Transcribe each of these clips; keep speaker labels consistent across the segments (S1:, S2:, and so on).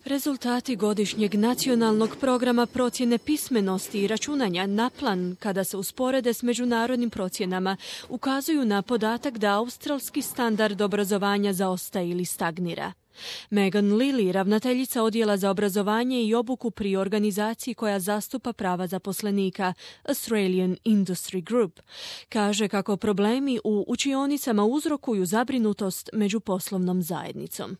S1: Rezultati godišnjeg nacionalnog programa procjene pismenosti i računanja NAPLAN, kada se usporede s međunarodnim procjenama, ukazuju na podatak da australski standard obrazovanja zaostaje ili stagnira. Megan Lilly, ravnateljica odjela za obrazovanje i obuku pri organizaciji koja zastupa prava zaposlenika, Australian Industry Group, kaže kako problemi u učionicama uzrokuju zabrinutost među poslovnom zajednicom.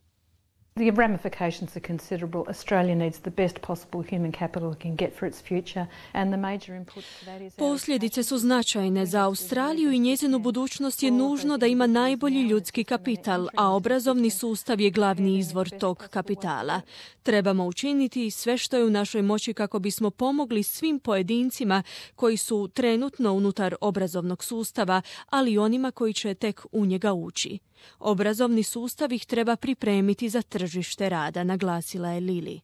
S2: The ramifications are considerable. Australia needs the best possible human capital it can get for its future, and the major input to that is...
S1: Posljedice su značajne za Australiju i njezinu budućnost je nužno da ima najbolji ljudski kapital, a obrazovni sustav je glavni izvor tog kapitala. Trebamo učiniti sve što je u našoj moći kako bismo pomogli svim pojedincima koji su trenutno unutar obrazovnog sustava, ali i onima koji će tek u njega ući. Obrazovni sustav ih treba pripremiti za tržište rada, naglasila je Lilly.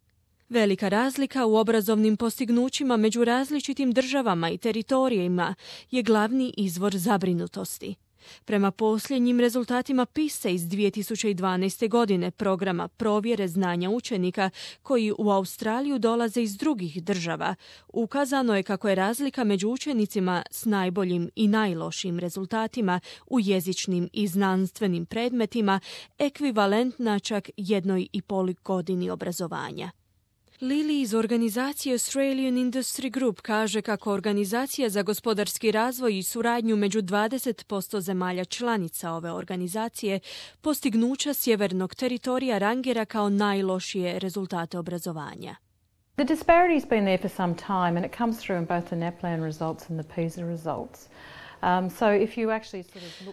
S1: Velika razlika u obrazovnim postignućima među različitim državama i teritorijima je glavni izvor zabrinutosti. Prema posljednjim rezultatima PISA iz 2012. godine, programa provjere znanja učenika koji u Australiju dolaze iz drugih država, ukazano je kako je razlika među učenicima s najboljim i najlošijim rezultatima u jezičnim i znanstvenim predmetima ekvivalentna čak 1,5 godini obrazovanja. Lilly iz organizacije Australian Industry Group kaže kako Organizacija za gospodarski razvoj i suradnju među 20% zemalja članica ove organizacije postignuća sjevernog teritorija rangira kao najlošije rezultate obrazovanja.
S2: The disparity has been there for some time, and it comes through in both the NAPLAN results and the PISA results.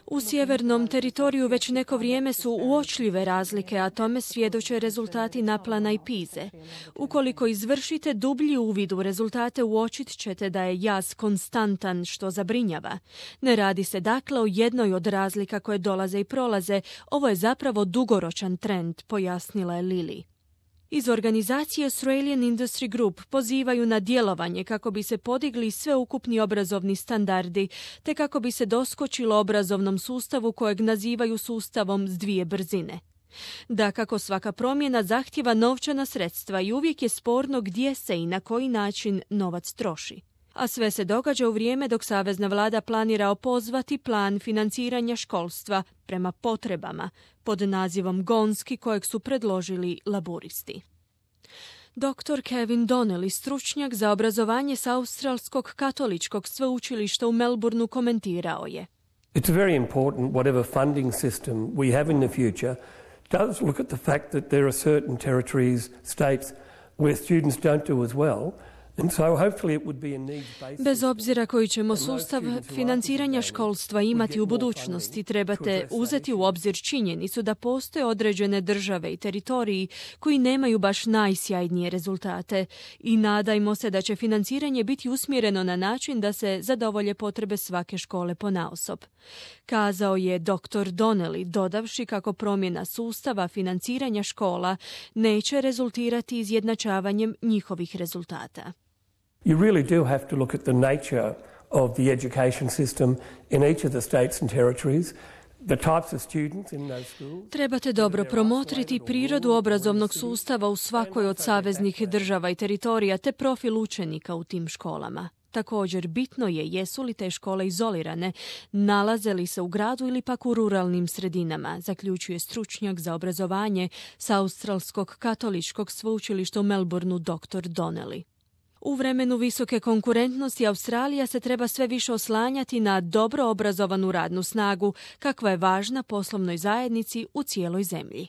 S1: U sjevernom teritoriju već neko vrijeme su uočljive razlike, a tome svjedoče rezultati NAPLAN-a i PISA. Ukoliko izvršite dublji uvid u rezultate, uočit ćete da je jaz konstantan, što zabrinjava. Ne radi se dakle o jednoj od razlika koje dolaze i prolaze, ovo je zapravo dugoročan trend, pojasnila je Lilly. Iz organizacije Australian Industry Group pozivaju na djelovanje kako bi se podigli sveukupni obrazovni standardi, te kako bi se doskočilo obrazovnom sustavu kojeg nazivaju sustavom s dvije brzine. Dakako, svaka promjena zahtijeva novčana sredstva i uvijek je sporno gdje se i na koji način novac troši. A sve se događa u vrijeme dok savezna vlada planira opozvati plan financiranja školstva prema potrebama pod nazivom Gonski kojeg su predložili laburisti. Dr. Kevin Donnelly, stručnjak za obrazovanje sa Australskog katoličkog sveučilišta u Melbourneu, komentirao je:
S3: It's very important, whatever funding system we have in the future, does look at the fact that there are certain territories, states where students don't do as well.
S1: Bez obzira koji ćemo sustav financiranja školstva imati u budućnosti, trebate uzeti u obzir činjenicu da postoje određene države i teritoriji koji nemaju baš najsjajnije rezultate i nadajmo se da će financiranje biti usmjereno na način da se zadovolje potrebe svake škole ponaosob. Kazao je dr. Donnelly, dodavši kako promjena sustava financiranja škola neće rezultirati izjednačavanjem njihovih rezultata.
S3: You really do have to look at the nature of the education system in each of the states and territories.
S1: Trebate dobro promotriti prirodu obrazovnog sustava u svakoj od saveznih država i teritorija te profil učenika u tim školama. Također, bitno je jesu li te škole izolirane, nalaze li se u gradu ili pak u ruralnim sredinama, zaključuje stručnjak za obrazovanje sa Australskog katoličkog sveučilišta u Melbourneu dr. Donnelly. U vremenu visoke konkurentnosti Australija se treba sve više oslanjati na dobro obrazovanu radnu snagu, kakva je važna poslovnoj zajednici u cijeloj zemlji.